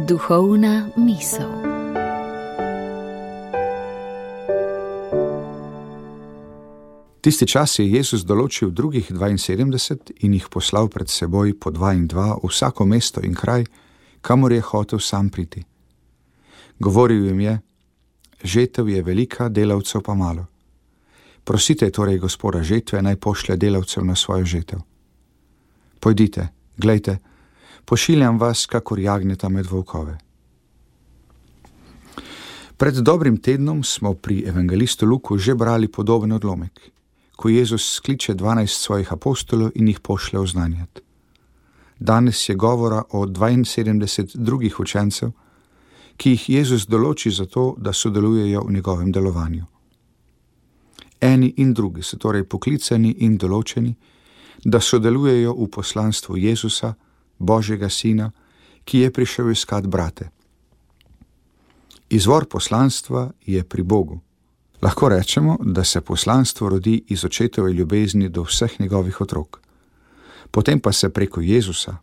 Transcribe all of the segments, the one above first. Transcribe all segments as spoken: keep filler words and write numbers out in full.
Duhovna misel. Tisti čas je Jezus določil drugih dvainsedemdeset in jih poslal pred seboj po dva in dva v vsako mesto in kraj, kamor je hotel sam priti. Govoril jim je: žetev je velika, delavcev pa malo. Prosite torej Gospoda žetve, naj pošlje delavcev na svojo žetev. Pojdite, glejte, pošiljam vas kakor jagnjeta med volkove. Pred dobrim tednom smo pri evangelistu Luku že brali podoben odlomek, ko Jezus skliče dvanajst svojih apostolov in jih pošlje oznanjati. Danes je govora o dvainsedemdeset drugih učencev, ki jih Jezus določi za to, da sodelujejo v njegovem delovanju. Eni in drugi so torej poklicani in določeni, da sodelujejo v poslanstvu Jezusa, Božjega Sina, ki je prišel iskat brate. Izvor poslanstva je pri Bogu. Lahko rečemo, da se poslanstvo rodi iz očetove ljubezni do vseh njegovih otrok. Potem pa se preko Jezusa,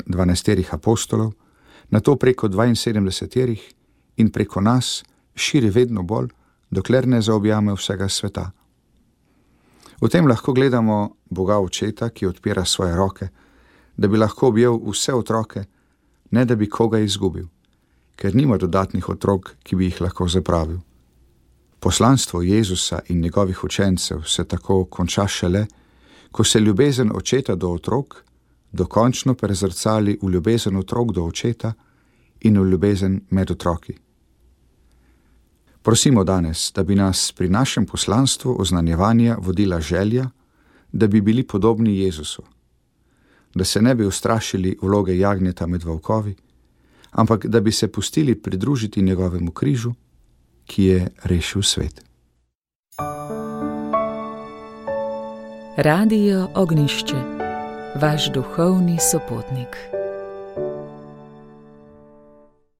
dvanajsterih apostolov, nato preko dvainsedemdeseterih in preko nas širi vedno bolj, dokler ne zaobjame vsega sveta. V tem lahko gledamo Boga Očeta, ki odpira svoje roke, da bi lahko objel vse otroke, ne da bi koga izgubil, ker nima dodatnih otrok, ki bi jih lahko zapravil. Poslanstvo Jezusa in njegovih učencev se tako konča šele, ko se ljubezen očeta do otrok dokončno prezrcali v ljubezen otrok do očeta in v ljubezen med otroki. Prosimo danes, da bi nas pri našem poslanstvu oznanjevanja vodila želja, da bi bili podobni Jezusu, da se ne bi ustrašili vloge jagnjeta med volkovi, ampak da bi se pustili pridružiti njegovemu križu, ki je rešil svet. Radio Ognjišče, vaš duhovni sopotnik.